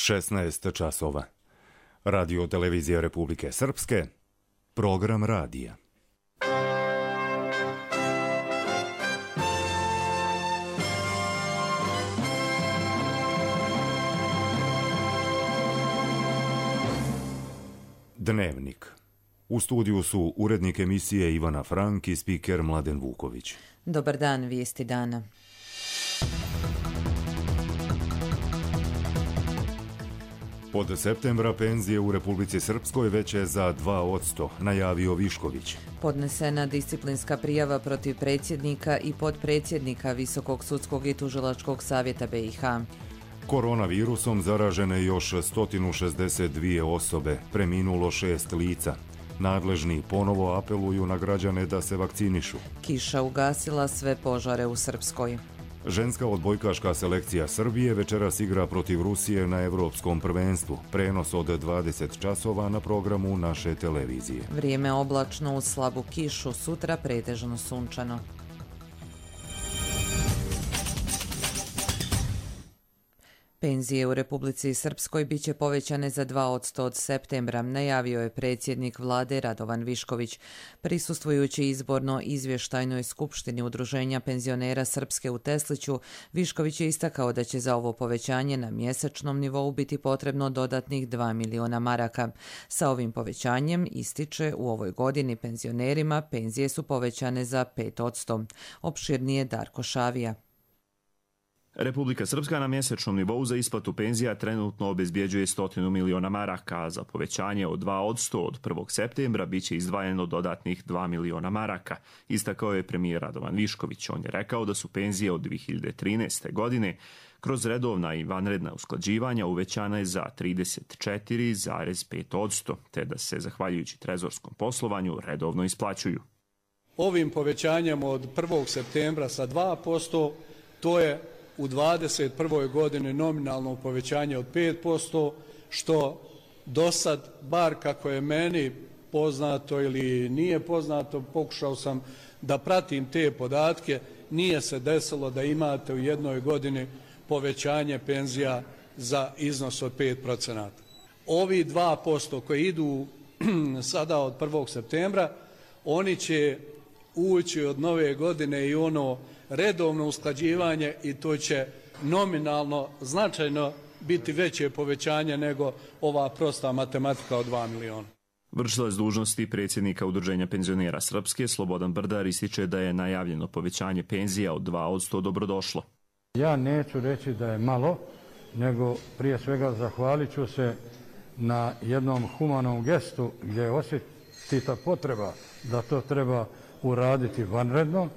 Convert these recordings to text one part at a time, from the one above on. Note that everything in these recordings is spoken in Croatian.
16 časova. Radio televizija Republike Srpske, program radija. Dnevnik. U studiju su urednik emisije Ivana Frank i spiker Mladen Vuković. Dobar dan, vijesti dana. Od septembra penzije u Republici Srpskoj veće za 2%, najavio Višković. Podnesena disciplinska prijava protiv predsjednika i potpredsjednika Visokog sudskog i tužilačkog savjeta BiH. Koronavirusom zaražene još 162 osobe, preminulo 6 lica. Nadležni ponovo apeluju na građane da se vakcinišu. Kiša ugasila sve požare u Srpskoj. Ženska odbojkaška selekcija Srbije večeras igra protiv Rusije na Evropskom prvenstvu. Prenos od 20 časova na programu naše televizije. Vrijeme oblačno uz slabu kišu, sutra pretežno sunčano. Penzije u Republici Srpskoj biće povećane za 2% od septembra, najavio je predsjednik vlade Radovan Višković. Prisustvujući izborno izvještajnoj skupštini Udruženja penzionera Srpske u Tesliću, Višković je istakao da će za ovo povećanje na mjesečnom nivou biti potrebno dodatnih 2 miliona maraka. Sa ovim povećanjem, ističe, u ovoj godini penzionerima penzije su povećane za 5%. Opširnije Darko Šavija. Republika Srpska na mjesečnom nivou za isplatu penzija trenutno obezbjeđuje 100 miliona maraka, a za povećanje od 2% od 1. septembra biće izdvajeno dodatnih 2 miliona maraka, istakao je premijer Radovan Višković. On je rekao da su penzije od 2013. godine kroz redovna i vanredna usklađivanja uvećane za 34,5%, te da se, zahvaljujući trezorskom poslovanju, redovno isplaćuju. Ovim povećanjem od 1. septembra sa 2%, to je u 2021. godini nominalno povećanje od 5%, što do sad, bar kako je meni poznato ili nije poznato, pokušao sam da pratim te podatke, nije se desilo da imate u jednoj godini povećanje penzija za iznos od 5%. Ovi 2% koji idu sada od 1. septembra, oni će ući od nove godine i ono redovno usklađivanje i to će nominalno značajno biti veće povećanje nego ova prosta matematika od 2 miliona. Vršilac dužnosti predsjednika Udruženja penzionera Srpske Slobodan Brdar ističe da je najavljeno povećanje penzija od 2% dobrodošlo. Ja neću reći da je malo, nego prije svega zahvalit ću se na jednom humanom gestu gdje je osjetita potreba da to treba uraditi vanredno,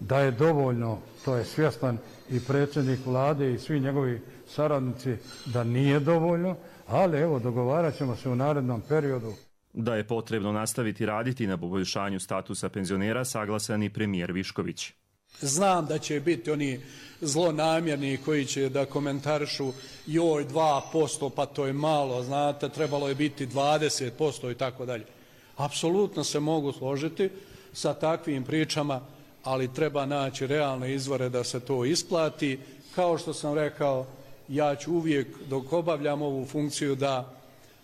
da je dovoljno, to je svjestan i predsjednik vlade i svi njegovi saradnici da nije dovoljno, ali evo dogovarat ćemo se u narednom periodu. Da je potrebno nastaviti raditi na poboljšanju statusa penzionera, saglasan i premijer Višković. Znam da će biti oni zlonamjerni koji će da komentarišu joj 2%, pa to je malo, znate, trebalo je biti 20% i tako dalje. Apsolutno se mogu složiti sa takvim pričama, ali treba naći realne izvore da se to isplati. Kao što sam rekao, ja ću uvijek dok obavljam ovu funkciju da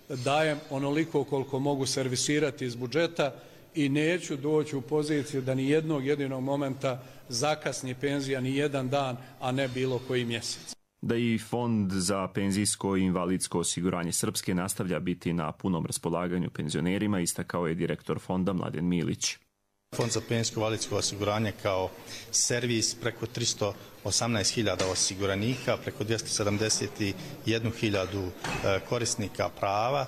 dajem onoliko koliko mogu servisirati iz budžeta i neću doći u poziciju da ni jednog jedinog momenta zakasni penzija ni jedan dan, a ne bilo koji mjesec. Da i Fond za penzijsko i invalidsko osiguranje Srpske nastavlja biti na punom raspolaganju penzionerima, istakao je direktor fonda Mladen Milić. Fond za penzijsko i invalidsko osiguranje kao servis preko 318.000 osiguranika, preko 271.000 korisnika prava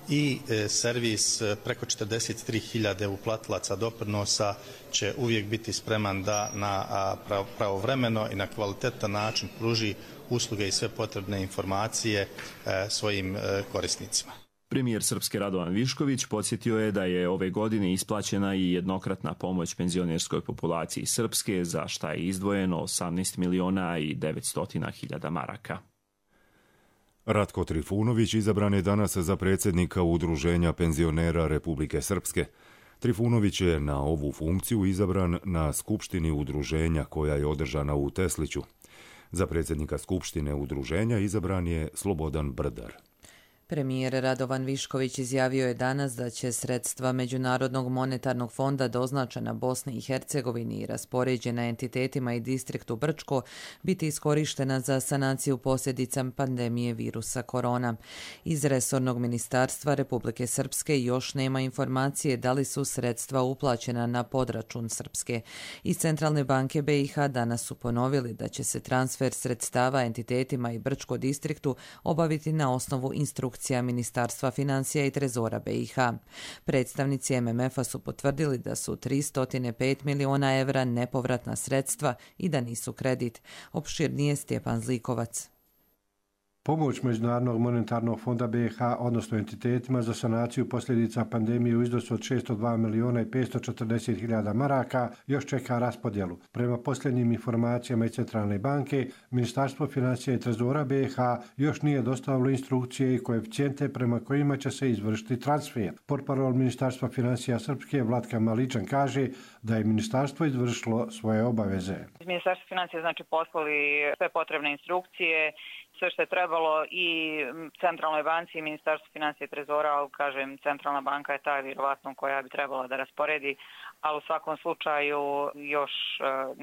i servis preko 43.000 uplatilaca doprinosa će uvijek biti spreman da na pravovremeno i na kvalitetan način pruži usluge i sve potrebne informacije svojim korisnicima. Premijer Srpske Radovan Višković podsjetio je da je ove godine isplaćena i jednokratna pomoć penzionerskoj populaciji Srpske, za šta je izdvojeno 18 miliona i 900 hiljada maraka. Ratko Trifunović izabran je danas za predsjednika Udruženja penzionera Republike Srpske. Trifunović je na ovu funkciju izabran na skupštini udruženja koja je održana u Tesliću. Za predsjednika Skupštine udruženja izabran je Slobodan Brdar. Premijer Radovan Višković izjavio je danas da će sredstva Međunarodnog monetarnog fonda doznačena Bosni i Hercegovini i raspoređena entitetima i distriktu Brčko biti iskorištena za sanaciju posljedica pandemije virusa korona. Iz resornog ministarstva Republike Srpske još nema informacije da li su sredstva uplaćena na podračun Srpske. Iz Centralne banke BiH danas su ponovili da će se transfer sredstava entitetima i Brčko distriktu obaviti na osnovu instrukcija Ministarstva financija i Trezora BiH. Predstavnici MMF-a su potvrdili da su 305 miliona evra nepovratna sredstva i da nisu kredit. Opširnije Stjepan Zlikovac. Pomoć Međunarodnog monetarnog fonda BiH, odnosno entitetima za sanaciju posljedica pandemije u iznosu od 602 miliona i 540 hiljada maraka još čeka raspodjelu. Prema posljednjim informacijama iz Centralne banke, Ministarstvo financija i Trezora BiH još nije dostavilo instrukcije i koeficijente prema kojima će se izvršiti transfer. Portparol Ministarstva financija Srpske Vlatka Maličan kaže da je ministarstvo izvršilo svoje obaveze. Ministarstvo financija poslali sve potrebne instrukcije, sve što je trebalo i Centralnoj banci i Ministarstvu financija i Trezora, ali kažem, Centralna banka je ta vjerovatno koja bi trebala da rasporedi, ali u svakom slučaju još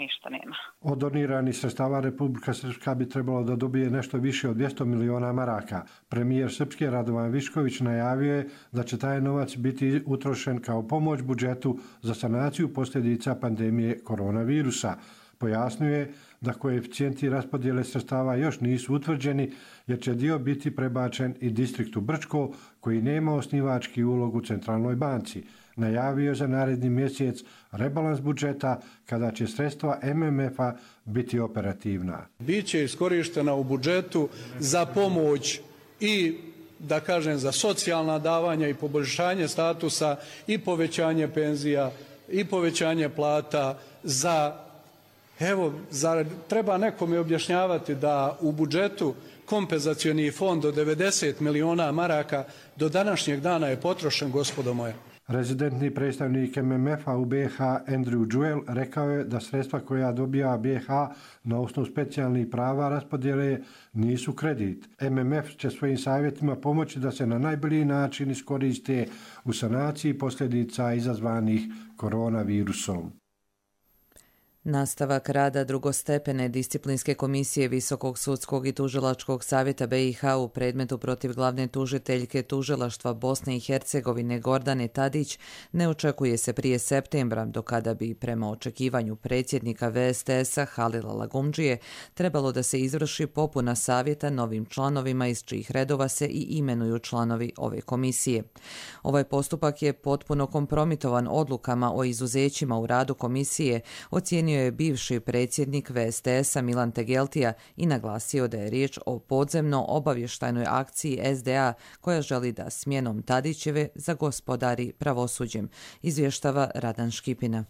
ništa nema. Od doniranih sredstava Republika Srpska bi trebalo da dobije nešto više od 200 miliona maraka. Premijer Srpske Radovan Višković najavio je da će taj novac biti utrošen kao pomoć budžetu za sanaciju posljedica pandemije koronavirusa. Pojasnio je da koeficijenti raspodjele sredstava još nisu utvrđeni jer će dio biti prebačen i distriktu Brčko koji nema osnivački ulog u Centralnoj banci. Najavio za naredni mjesec rebalans budžeta kada će sredstva MMF-a biti operativna. Biće iskorištena u budžetu za pomoć i za socijalna davanja i poboljšanje statusa i povećanje penzija i povećanje plata treba nekome objašnjavati da u budžetu kompenzacioni fond od 90 miliona maraka do današnjeg dana je potrošen, gospodo moja. Rezidentni predstavnik MMF-a u BiH Andrew Jewell rekao je da sredstva koja dobija BiH na osnovu specijalnih prava raspodjele nisu kredit. MMF će svojim savjetima pomoći da se na najbolji način iskoriste u sanaciji posljedica izazvanih koronavirusom. Nastavak rada drugostepene disciplinske komisije Visokog sudskog i tužilačkog savjeta BiH u predmetu protiv glavne tužiteljke tužilaštva Bosne i Hercegovine Gordane Tadić ne očekuje se prije septembra, do kada bi prema očekivanju predsjednika VSTS-a Halila Lagumdžije trebalo da se izvrši popuna savjeta novim članovima iz čijih redova se i imenuju članovi ove komisije. Ovaj postupak je potpuno kompromitovan odlukama o izuzećima u radu komisije, ocijenio je bivši predsjednik VSTS-a Milan Tegeltija i naglasio da je riječ o podzemno obavještajnoj akciji SDA koja želi da smjenom Tadićeve zagospodari pravosuđem, izvještava Radan Škipina.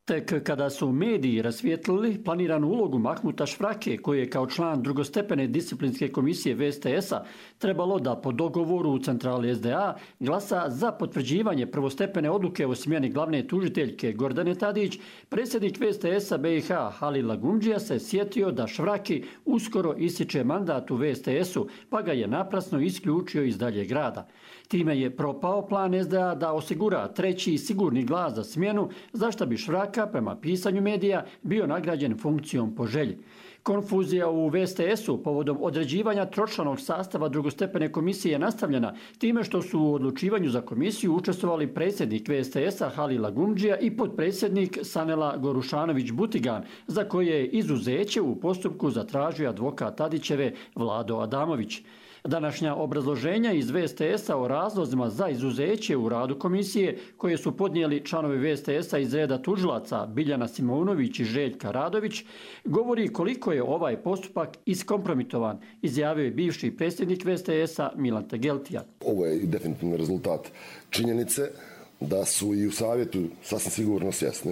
Tek kada su mediji rasvijetlili planiranu ulogu Mahmuta Švrake, koji je kao član drugostepene disciplinske komisije VSTS-a trebalo da po dogovoru u centrali SDA glasa za potvrđivanje prvostepene odluke o smjeni glavne tužiteljke Gordane Tadić, predsjednik VSTS-a BiH Halil Lagumdžija se sjetio da Švraki uskoro ističe mandat u VSTS-u, pa ga je naprasno isključio iz daljeg rada. Time je propao plan SDA da osigura treći sigurni glas za smjenu, za što bi Švraka, prema pisanju medija, bio nagrađen funkcijom po želji. Konfuzija u VSTS-u povodom određivanja tročlanog sastava drugostepene komisije je nastavljena time što su u odlučivanju za komisiju učestvovali predsjednik VSTS-a Halil Lagumdžija i potpredsjednik Sanela Gorušanović-Butigan, za koje je izuzeće u postupku zatražio advokat Tadićeve Vlado Adamović. Današnja obrazloženja iz VSTS-a o razlozima za izuzeće u radu komisije koje su podnijeli članovi VSTS-a iz reda tužilaca Biljana Simonović i Željka Radović govori koliko je ovaj postupak iskompromitovan, izjavio je bivši predsjednik VSTS-a Milan Tegeltija. Ovo je definitivno rezultat činjenice da su i u savjetu sasvim sigurno svjesni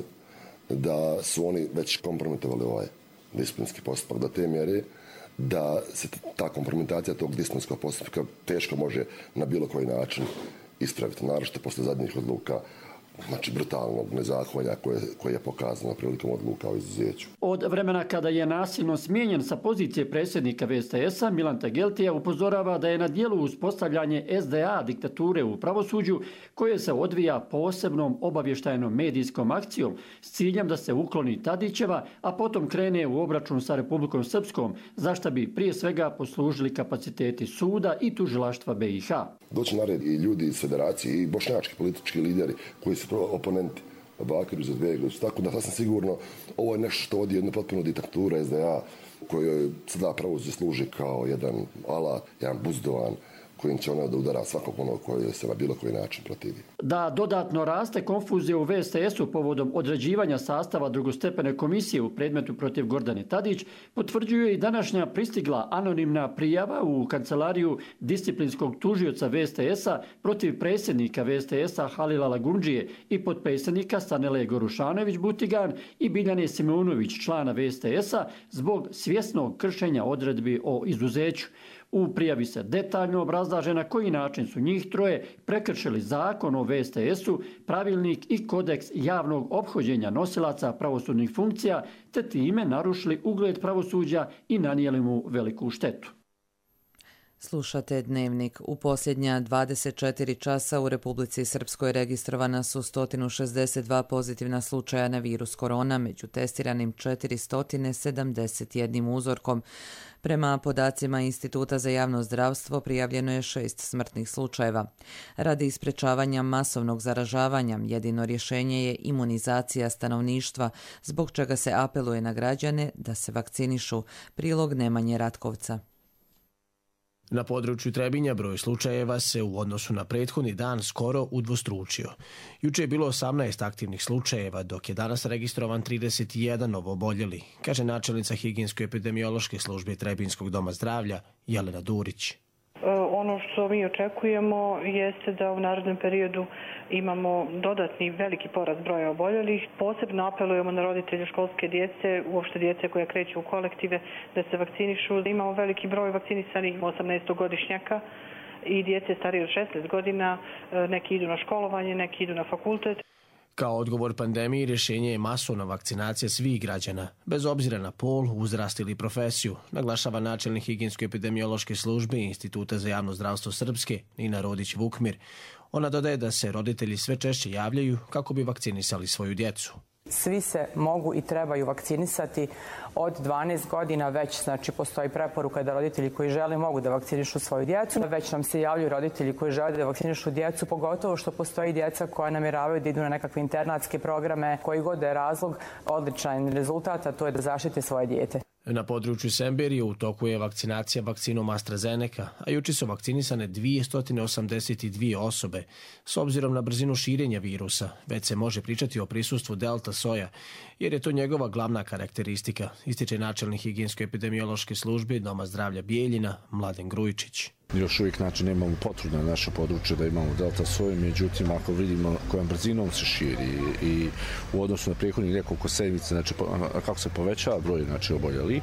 da su oni već kompromitovali ovaj disciplinski postupak do te mjere da se ta kompromitacija tog disciplinskog postupka teško može na bilo koji način ispraviti, naročito posle zadnjih odluka znači brutalnog nezakonja koje je pokazano prilikom odluka o izuzeću. Od vremena kada je nasilno smijenjen sa pozicije predsjednika VSTS-a, Milan Tegeltija upozorava da je na dijelu uspostavljanje SDA diktature u pravosuđu koje se odvija posebnom obavještajnom medijskom akcijom s ciljem da se ukloni Tadićeva, a potom krene u obračun sa Republikom Srpskom, za šta bi prije svega poslužili kapaciteti suda i tužilaštva BiH. Doći na red i ljudi iz federacije i bošnjački politički lideri koji su oponenti Bakiru za Izetbegović. Tako da sasvim sigurno ovo je nešto što vodi jednu potpunu diktaturu SDA kojoj sada pravosuđe služi kao jedan alat, jedan buzdovan kojim će ona da udara svakog onog koji se na bilo koji način protivi. Da dodatno raste konfuzija u VSTS-u povodom određivanja sastava drugostepene komisije u predmetu protiv Gordane Tadić, potvrđuje i današnja pristigla anonimna prijava u kancelariju disciplinskog tužioca VSTS-a protiv predsjednika VSTS-a Halila Lagundžije i potpredsjednika Stanele Gorušanović-Butigan i Biljane Simeunović, člana VSTS-a, zbog svjesnog kršenja odredbi o izuzeću. U prijavi se detaljno obrazlaže na koji način su njih troje prekršili zakon o VSTS-u, pravilnik i kodeks javnog ophođenja nosilaca pravosudnih funkcija, te time narušili ugled pravosuđa i nanijeli mu veliku štetu. Slušate Dnevnik. U posljednja 24 časa u Republici Srpskoj registrovana su 162 pozitivna slučaja na virus korona, među testiranim 471 uzorkom. Prema podacima Instituta za javno zdravstvo prijavljeno je 6 smrtnih slučajeva. Radi sprečavanja masovnog zaražavanja, jedino rješenje je imunizacija stanovništva, zbog čega se apeluje na građane da se vakcinišu. Prilog Nemanje Ratkovca. Na području Trebinja broj slučajeva se u odnosu na prethodni dan skoro udvostručio. Juče je bilo 18 aktivnih slučajeva, dok je danas registrovan 31 novooboljeli, kaže načelnica higijensko-epidemiološke službe Trebinskog doma zdravlja Jelena Durić. Ono što mi očekujemo jeste da u narednom periodu imamo dodatni veliki porast broja oboljelih. Posebno apelujemo na roditelje školske djece, uopšte djece koja kreću u kolektive, da se vakcinišu. Imamo veliki broj vakcinisanih 18-godišnjaka i djece starije od 16 godina. Neki idu na školovanje, neki idu na fakultet. Kao odgovor pandemiji rješenje je masovna vakcinacija svih građana, bez obzira na pol, uzrast ili profesiju, naglašava načelnik higijensko-epidemiološke službe Instituta za javno zdravstvo Srpske Nina Rodić-Vukmir. Ona dodaje da se roditelji sve češće javljaju kako bi vakcinisali svoju djecu. Svi se mogu i trebaju vakcinisati od 12 godina, već znači postoji preporuka da roditelji koji žele mogu da vakcinišu svoju djecu. Već nam se javljaju roditelji koji žele da vakcinišu djecu, pogotovo što postoji djeca koja namjeravaju da idu na nekakve internatske programe, koji god je razlog, odličan rezultat, a to je da zaštite svoje dijete. Na području Semberije u toku je vakcinacija vakcinom AstraZeneca, a juče su vakcinisane 282 osobe. S obzirom na brzinu širenja virusa, već se može pričati o prisustvu delta soja, jer je to njegova glavna karakteristika, ističe načelnik higijensko-epidemiološke službe Doma zdravlja Bijeljina Mladen Grujičić. Još uvijek nemamo potvrdu na naše područje da imamo delta soju, međutim ako vidimo kojom brzinom se širi i u odnosu na prethodnih nekoliko sedmica, znači kako se povećava broj oboljeli,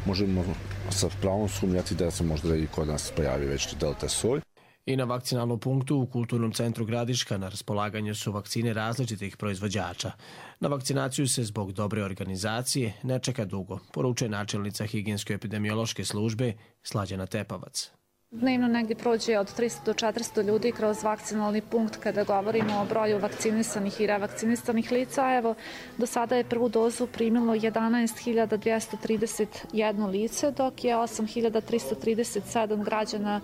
možemo sa pravom sumnjati da se možda i kod nas pojavi već delta soj. I na vakcinalnom punktu u Kulturnom centru Gradiška na raspolaganju su vakcine različitih proizvođača. Na vakcinaciju se zbog dobre organizacije ne čeka dugo, poručuje načelnica higijensko-epidemiološke službe Slađana Tepavac. Dnevno negdje prođe od 300 do 400 ljudi kroz vakcinalni punkt kada govorimo o broju vakcinisanih i revakcinisanih lica. Evo, do sada je prvu dozu primilo 11.231 lice, dok je 8.337 građana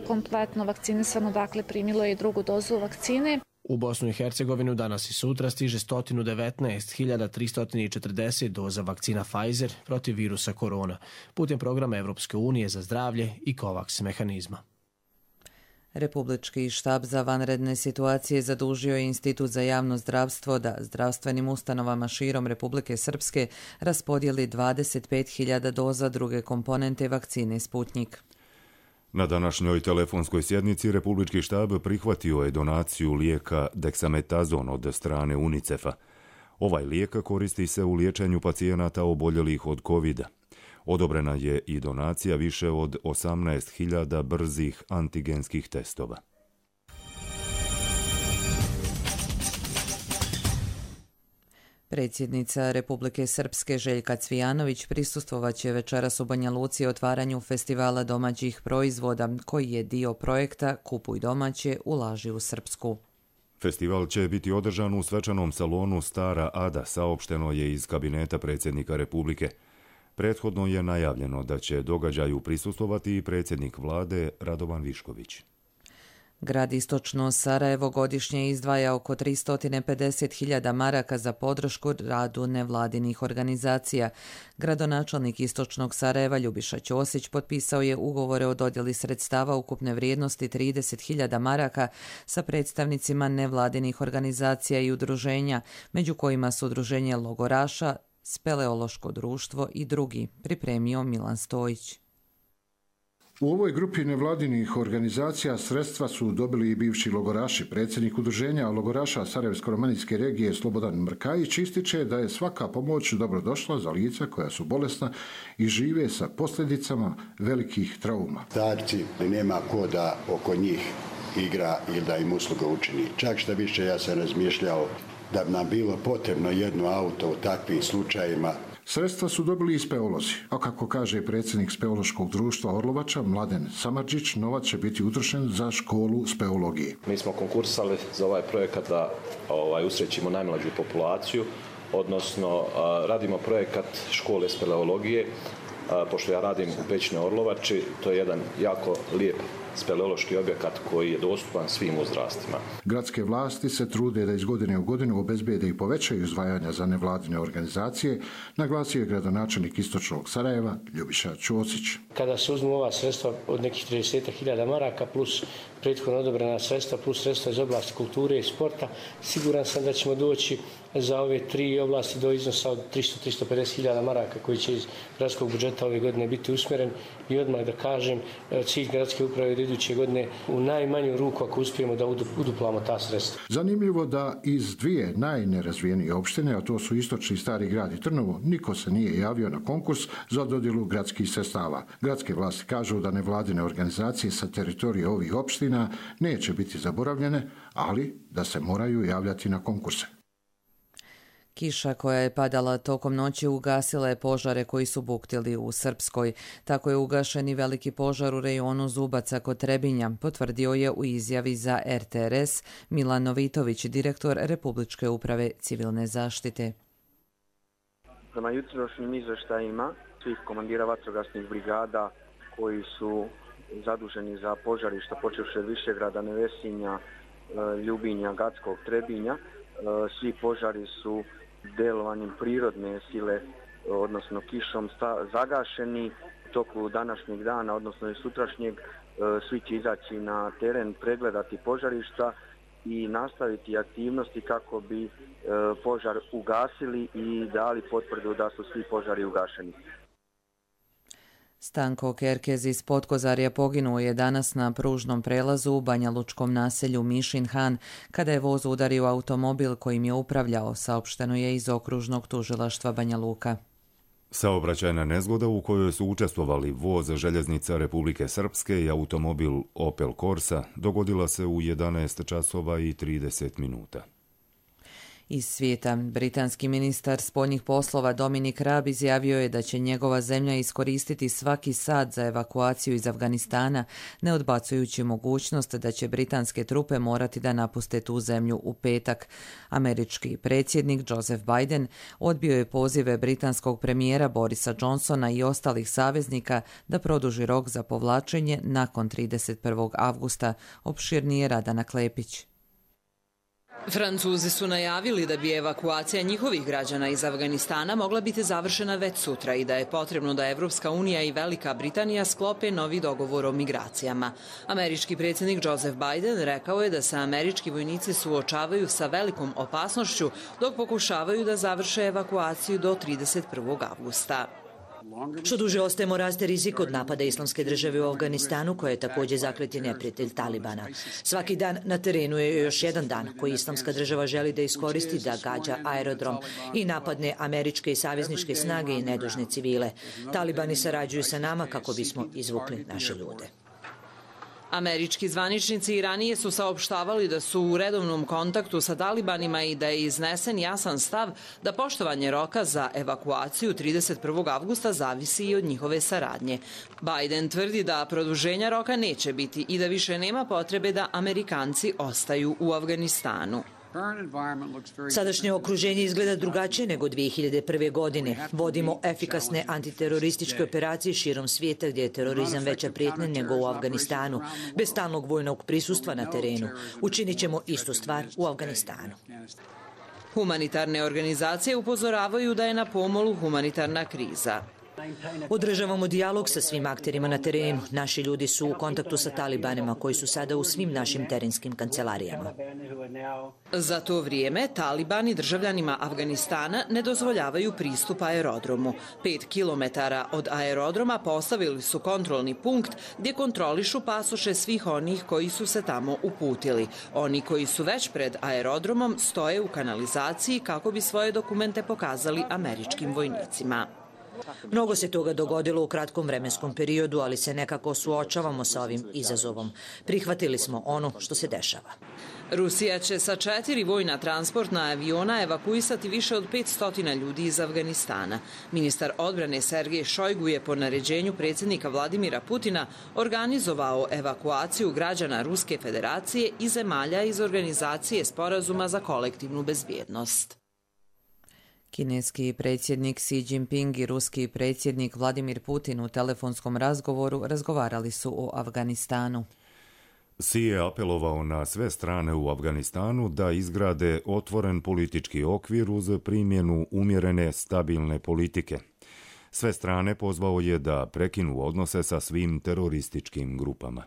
kompletno vakcinisano, dakle primilo je i drugu dozu vakcine. U Bosnu i Hercegovinu danas i sutra stiže 119.340 doza vakcina Pfizer protiv virusa korona putem programa Evropske unije za zdravlje i COVAX mehanizma. Republički štab za vanredne situacije zadužio je Institut za javno zdravstvo da zdravstvenim ustanovama širom Republike Srpske raspodijeli 25.000 doza druge komponente vakcine Sputnjik. Na današnjoj telefonskoj sjednici Republički štab prihvatio je donaciju lijeka Dexametazon od strane UNICEF-a. Ovaj lijek koristi se u liječenju pacijenata oboljelih od COVID-a. Odobrena je i donacija više od 18.000 brzih antigenskih testova. Predsjednica Republike Srpske Željka Cvijanović prisustvovaće večeras u Banja Luci otvaranju festivala domaćih proizvoda, koji je dio projekta Kupuj domaće, ulaži u Srpsku. Festival će biti održan u svečanom salonu Stara Ada, saopšteno je iz kabineta predsjednika Republike. Prethodno je najavljeno da će događaju prisustvovati i predsjednik vlade Radovan Višković. Grad Istočno Sarajevo godišnje izdvaja oko 350.000 maraka za podršku radu nevladinih organizacija. Gradonačelnik Istočnog Sarajeva Ljubiša Ćosić potpisao je ugovore o dodjeli sredstava ukupne vrijednosti 30.000 maraka sa predstavnicima nevladinih organizacija i udruženja, među kojima su udruženje logoraša, Speleološko društvo i drugi, pripremio Milan Stojić. U ovoj grupi nevladinih organizacija sredstva su dobili i bivši logoraši. Predsjednik udruženja logoraša Sarajevsko-romanijske regije Slobodan Mrkajić ističe da je svaka pomoć dobrodošla za lica koja su bolesna i žive sa posljedicama velikih trauma. Starci nema ko da oko njih igra ili da im usluga učini. Čak šta više, ja sam razmišljao da bi nam bilo potrebno jedno auto u takvim slučajima. Sredstva su dobili i speolozi, a kako kaže predsjednik Speološkog društva Orlovača Mladen Samardžić, novac će biti utrošen za školu speologije. Mi smo konkursali za ovaj projekat da usrećimo najmlađu populaciju, odnosno radimo projekat škole speleologije, pošto ja radim u Pećinoj Orlovači, to je jedan jako lijep speleološki objekat koji je dostupan svim uzrastima. Gradske vlasti se trude da iz godine u godinu obezbede i povećaju izdvajanja za nevladine organizacije, naglasio je gradonačelnik Istočnog Sarajeva Ljubiša Ćosić. Kada se uzmu ova sredstva od nekih 30.000 maraka plus prethodno odobrena sredstva plus sredstva iz oblasti kulture i sporta, siguran sam da ćemo doći za ove tri oblasti do iznosa od 300-350.000 maraka koji će iz gradskog budžeta ove godine biti usmjeren i odmah da kažem cilj gradske uprave do iduće godine u najmanju ruku ako uspijemo da uduplamo ta sredstva. Zanimljivo da iz dvije najnerazvijenije opštine, a to su Istočni Stari Grad i Trnovo, niko se nije javio na konkurs za dodjelu gradskih sredstava. Gradske vlasti kažu da nevladine organizacije sa teritorije ovih opština neće biti zaboravljene, ali da se moraju javljati na konkurse. Kiša koja je padala tokom noći ugasila je požare koji su buktili u Srpskoj. Tako je ugašen i veliki požar u rejonu Zubaca kod Trebinja, potvrdio je u izjavi za RTRS Milan Novitović, direktor Republičke uprave civilne zaštite. Prema jutrošnjim izveštajima svih komandira vatrogasnih brigada koji su zaduženi za požarišta počevši od Višegrada, Nevesinja, Ljubinja, Gatskog, Trebinja, svi požari su delovanjem prirodne sile, odnosno kišom, zagašeni. U toku današnjeg dana, odnosno i sutrašnjeg, svi će izaći na teren, pregledati požarišta i nastaviti aktivnosti kako bi požar ugasili i dali potvrdu da su svi požari ugašeni. Stanko Kerkez iz Potkozarja poginuo je danas na pružnom prelazu u banjalučkom naselju Mišin Han kada je voz udario automobil kojim je upravljao, saopšteno je iz okružnog tužilaštva Banja Luka. Saobraćajna nezgoda u kojoj su učestvovali voz željeznica Republike Srpske i automobil Opel Corsa dogodila se u 11 časova i 30 minuta. Iz svijeta, britanski ministar spoljnih poslova Dominic Raab izjavio je da će njegova zemlja iskoristiti svaki sat za evakuaciju iz Afganistana, ne odbacujući mogućnost da će britanske trupe morati da napuste tu zemlju u petak. Američki predsjednik Joseph Biden odbio je pozive britanskog premijera Borisa Johnsona i ostalih saveznika da produži rok za povlačenje nakon 31. avgusta, opširnije Radana Klepić. Francuzi su najavili da bi evakuacija njihovih građana iz Afganistana mogla biti završena već sutra i da je potrebno da Evropska unija i Velika Britanija sklope novi dogovor o migracijama. Američki predsjednik Joseph Biden rekao je da se američki vojnici suočavaju sa velikom opasnošću dok pokušavaju da završe evakuaciju do 31. avgusta. Što duže ostajemo, raste rizik od napada Islamske države u Afganistanu, koja je također zakleti neprijatelj Talibana. Svaki dan na terenu je još jedan dan koji Islamska država želi da iskoristi da gađa aerodrom i napadne američke i savezničke snage i nedužne civile. Talibani sarađuju sa nama kako bismo izvukli naše ljude. Američki zvaničnici i ranije su saopštavali da su u redovnom kontaktu sa talibanima i da je iznesen jasan stav da poštovanje roka za evakuaciju 31. avgusta zavisi i od njihove saradnje. Biden tvrdi da produženja roka neće biti i da više nema potrebe da Amerikanci ostaju u Afganistanu. Sadašnje okruženje izgleda drugačije nego 2001. godine. Vodimo efikasne antiterorističke operacije širom svijeta gdje je terorizam veća prijetnja nego u Afganistanu, bez stalnog vojnog prisustva na terenu. Učinit ćemo istu stvar u Afganistanu. Humanitarne organizacije upozoravaju da je na pomolu humanitarna kriza. Održavamo dijalog sa svim akterima na terenu. Naši ljudi su u kontaktu sa talibanima koji su sada u svim našim terenskim kancelarijama. Za to vrijeme talibani državljanima Afganistana ne dozvoljavaju pristup aerodromu. 5 kilometara od aerodroma postavili su kontrolni punkt gdje kontrolišu pasoše svih onih koji su se tamo uputili. Oni koji su već pred aerodromom stoje u kanalizaciji kako bi svoje dokumente pokazali američkim vojnicima. Mnogo se toga dogodilo u kratkom vremenskom periodu, ali se nekako suočavamo sa ovim izazovom. Prihvatili smo ono što se dešava. Rusija će sa 4 vojna transportna aviona evakuisati više od 500 ljudi iz Afganistana. Ministar odbrane Sergej Šojgu je po naređenju predsjednika Vladimira Putina organizovao evakuaciju građana Ruske federacije i zemalja iz Organizacije sporazuma za kolektivnu bezbjednost. Kineski predsjednik Xi Jinping i ruski predsjednik Vladimir Putin u telefonskom razgovoru razgovarali su o Afganistanu. Xi je apelovao na sve strane u Afganistanu da izgrade otvoren politički okvir uz primjenu umjerene, stabilne politike. Sve strane pozvao je da prekinu odnose sa svim terorističkim grupama.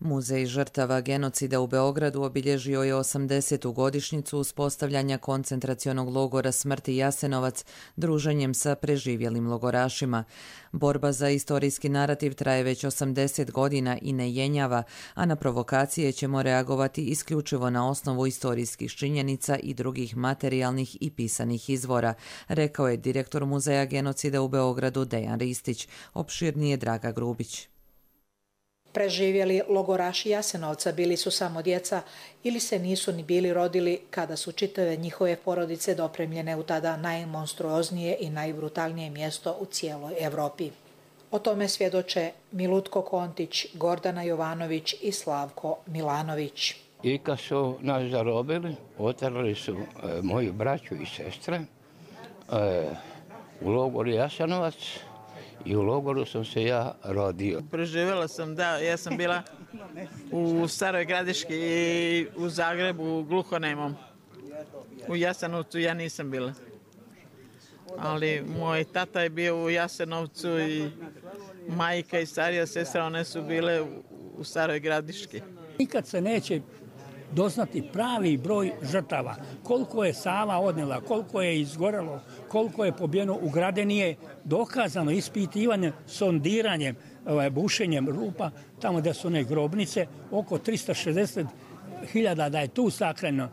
Muzej žrtava genocida u Beogradu obilježio je 80. godišnjicu uspostavljanja koncentracionog logora smrti Jasenovac druženjem sa preživjelim logorašima. Borba za istorijski narativ traje već 80 godina i ne jenjava, a na provokacije ćemo reagovati isključivo na osnovu istorijskih činjenica i drugih materijalnih i pisanih izvora, rekao je direktor Muzeja genocida u Beogradu Dejan Ristić. Opširnije Draga Grubić. Preživjeli logoraši Jasenovca bili su samo djeca ili se nisu ni bili rodili kada su čitave njihove porodice dopremljene u tada najmonstruoznije i najbrutalnije mjesto u cijeloj Evropi. O tome svjedoče Milutko Kontić, Gordana Jovanović i Slavko Milanović. I kad su nas zarobili, oterali su moju braću i sestre u logor Jasenovac. I u logoru sam se ja rodio. Preživjela sam, da. Ja sam bila u Staroj Gradiški i u Zagrebu gluhonemom. U Jasenovcu ja nisam bila. Ali moj tata je bio u Jasenovcu i majka i starija sestra, one su bile u Staroj Gradiški. Nikad se neće doznati pravi broj žrtava. Koliko je Sava odnela, koliko je izgorelo, koliko je pobijeno u grade nije dokazano ispitivanjem, sondiranjem, bušenjem rupa, tamo gdje su one grobnice, oko 360.000 da je tu sakreno.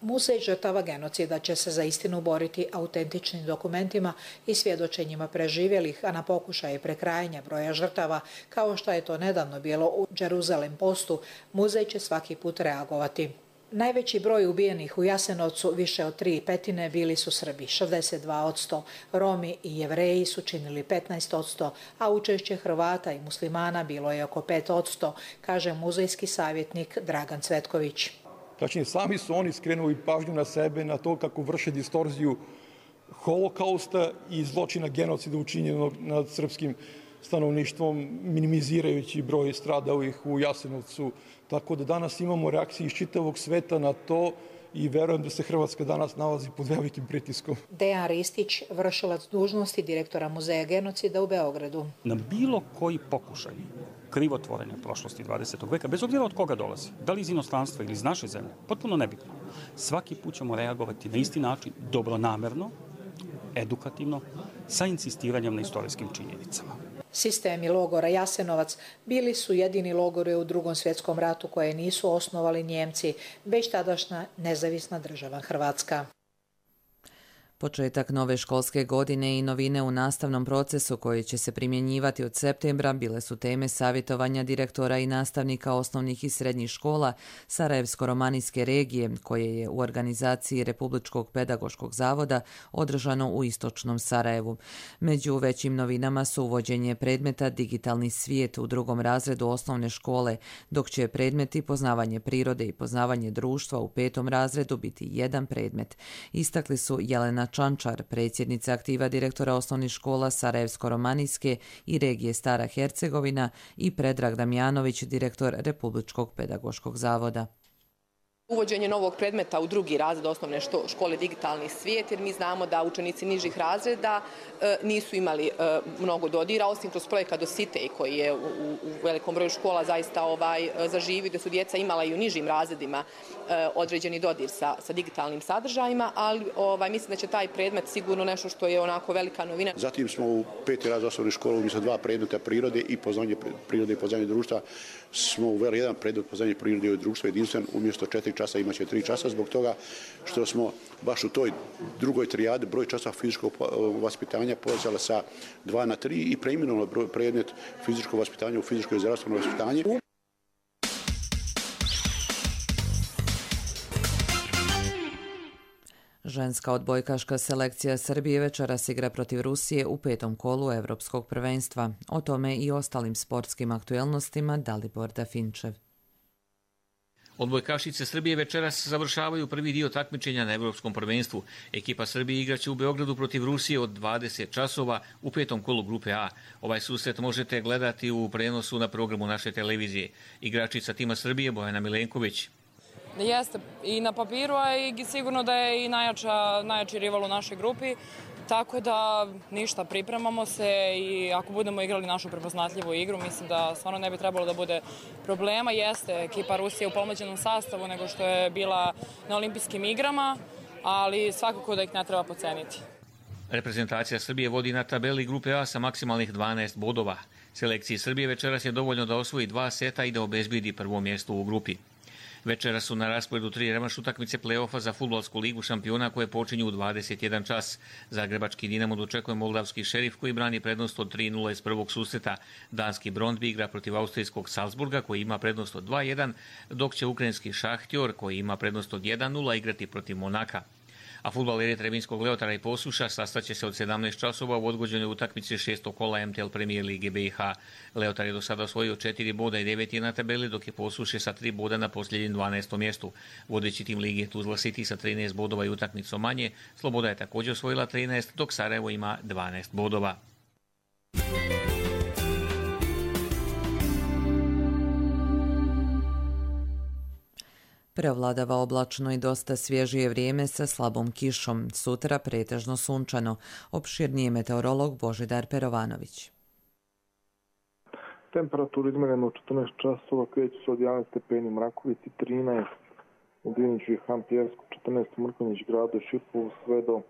Muzej žrtava genocida će se za istinu boriti autentičnim dokumentima i svjedočenjima preživjelih, a na pokušaje prekrajanja broja žrtava, kao što je to nedavno bilo u Jeruzalem Postu, muzej će svaki put reagovati. Najveći broj ubijenih u Jasenovcu, više od 3/5, bili su Srbi, 62%, Romi i Jevreji su činili 15%, a učešće Hrvata i muslimana bilo je oko 5%, kaže muzejski savjetnik Dragan Cvetković. Tačnije, sami su oni skrenuli pažnju na sebe, na to kako vrše distorziju holokausta i zločina genocida učinjenog nad srpskim stanovništvom, minimizirajući broj stradalih u Jasenovcu. Tako da danas imamo reakcije iz čitavog sveta na to i verujem da se Hrvatska danas nalazi pod velikim pritiskom. Dejan Ristić, vršilac dužnosti direktora Muzeja genocida u Beogradu. Na bilo koji pokušaj krivotvorenja prošlosti 20. veka, bez obzira od koga dolazi, da li iz inostranstva ili iz naše zemlje, potpuno nebitno. Svaki put ćemo reagovati na isti način, dobronamerno, edukativno, sa insistiranjem na istorijskim činjenicama. Sistemi logora Jasenovac bili su jedini logori u Drugom svjetskom ratu koje nisu osnovali Njemci, već tadašnja nezavisna država Hrvatska. Početak nove školske godine i novine u nastavnom procesu koji će se primjenjivati od septembra bile su teme savjetovanja direktora i nastavnika osnovnih i srednjih škola Sarajevsko-romanijske regije, koje je u organizaciji Republičkog pedagoškog zavoda održano u istočnom Sarajevu. Među većim novinama su uvođenje predmeta digitalni svijet u 2. razredu osnovne škole, dok će predmeti poznavanje prirode i poznavanje društva u 5. razredu biti jedan predmet. Istakli su Jelena Čančar, predsjednica aktiva direktora osnovnih škola Sarajevsko-romanijske i regije Stara Hercegovina, i Predrag Damjanović, direktor Republičkog pedagoškog zavoda. Uvođenje novog predmeta u 2. razred osnovne škole digitalni svijet, jer mi znamo da učenici nižih razreda nisu imali mnogo dodira, osim kroz projekat Dositej koji je u velikom broju škola zaista zaživio, da su djeca imala i u nižim razredima određeni dodir sa digitalnim sadržajima, ali mislim da će taj predmet sigurno nešto što je onako velika novina. Zatim smo u 5. razred osnovne škole umjesto 2 predmeta prirode i poznavanje prirode i poznavanje društva smo uveli jedan predmet poznavanje prirode i društva jedinstven, umjesto 4 časa imaće 3 časa, zbog toga što smo baš u toj drugoj trijadi broj časa fizičkog vaspitanja povećali sa 2 na 3 i preimenovali predmet fizičko vaspitanje u fizičko i zdravstveno vaspitanje. Ženska odbojkaška selekcija Srbije večeras igra protiv Rusije u 5. kolu Evropskog prvenstva. O tome i ostalim sportskim aktuelnostima Dalibor Dafinčev. Odbojkašice Srbije večeras završavaju prvi dio takmičenja na Evropskom prvenstvu. Ekipa Srbije igraće u Beogradu protiv Rusije od 20 časova u 5. kolu grupe A. Ovaj susret možete gledati u prenosu na programu naše televizije. Igračica tima Srbije Bojana Milenković. Jeste i na papiru, a i sigurno da je i najjači rival u našoj grupi. Tako da ništa, pripremamo se i ako budemo igrali našu prepoznatljivu igru, mislim da stvarno ne bi trebalo da bude problema. Jeste ekipa Rusije u pomoćenom sastavu nego što je bila na olimpijskim igrama, ali svakako da ih ne treba podceniti. Reprezentacija Srbije vodi na tabeli grupe A sa maksimalnih 12 bodova. Selekciji Srbije večeras je dovoljno da osvoji 2 seta i da obezbedi prvo mjesto u grupi. Večera su na rasporedu 3 revanš utakmice play-offa za Fudbalsku ligu šampiona koje počinju u 21 čas. Zagrebački Dinamo dočekuje moldavski Šerif koji brani prednost od 3-0 iz prvog susreta. Danski Brondby igra protiv austrijskog Salzburga koji ima prednost od 2-1, dok će ukrajinski Šahtjor koji ima prednost od 1-0 igrati protiv Monaka. A fudbaleri Trebinskog Leotara i Posuša sastaće se od 17 časova u odgođenoj utakmici 6. kola MTL Premier Lige BiH. Leotar je do sada osvojio 4 boda i 9 je na tabeli, dok je Posuše sa 3 boda na posljednjem 12. mjestu. Vodeći tim Lige Tuzla City sa 13 bodova i utakmicom manje. Sloboda je također osvojila 13, dok Sarajevo ima 12 bodova. Preovladava oblačno i dosta svježije vrijeme sa slabom kišom. Sutra pretežno sunčano. Opširniji meteorolog Božidar Perovanović. Temperatura izmjerena u 14 časova kreće se od 11 stepeni u Mrakovici, 13 u Diniću i Hampjersku, 14 u Mrkonjić gradu i Šipovu, sve do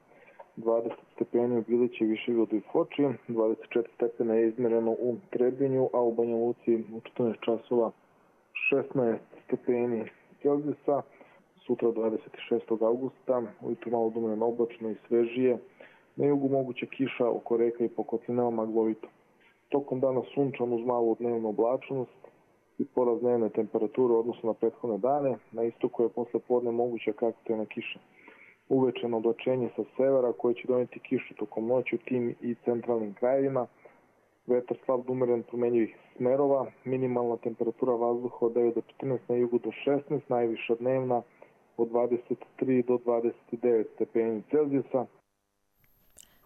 20 stepeni u Bilići, Višegradu i Foči, 24 stepena je izmjereno u Trebinju, a u Banja Luci u 14 časova 16 stepeni Celzijusa. Sutra 26. augusta, ujutro malo odumreno oblačno i svežije. Na jugu moguće kiša oko reka i po kotlinama maglovito. Tokom dana sunčan uz malu dnevnu oblačnost i porast dnevne temperature u odnosu na prethodne dane. Na istoku je posle podne moguća kratkotrajna kiša. Uvečeno oblačenje sa severa koje će donijeti kišu tokom noći u tim i centralnim krajevima. Vetar slab do umeren promenjivih smerova, minimalna temperatura vazduha od 9 do 14, na jugu do 16, najviša dnevna od 23 do 29 stepeni Celzijusa.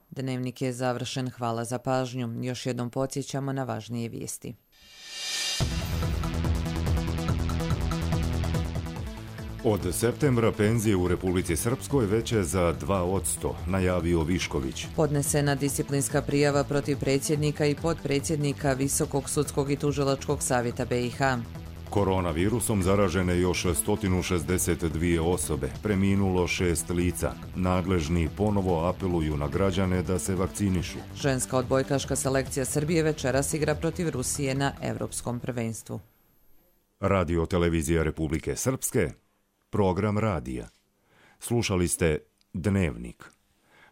Dnevnik je završen, hvala za pažnju. Još jednom podsjećamo na važnije vijesti. Od septembra penzije u Republici Srpskoj veće za 2%, najavio Višković. Podnesena disciplinska prijava protiv predsjednika i potpredsjednika Visokog sudskog i tužilačkog savjeta BiH. Koronavirusom zaražene još 162 osobe, preminulo 6 lica. Nadležni ponovo apeluju na građane da se vakcinišu. Ženska odbojkaška selekcija Srbije večeras igra protiv Rusije na Evropskom prvenstvu. Radio televizija Republike Srpske, program radija. Slušali ste Dnevnik.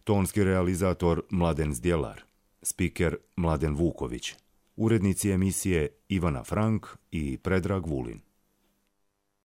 Tonski realizator Mladen Zdjelar, spiker Mladen Vuković, urednici emisije Ivana Frank i Predrag Vulin.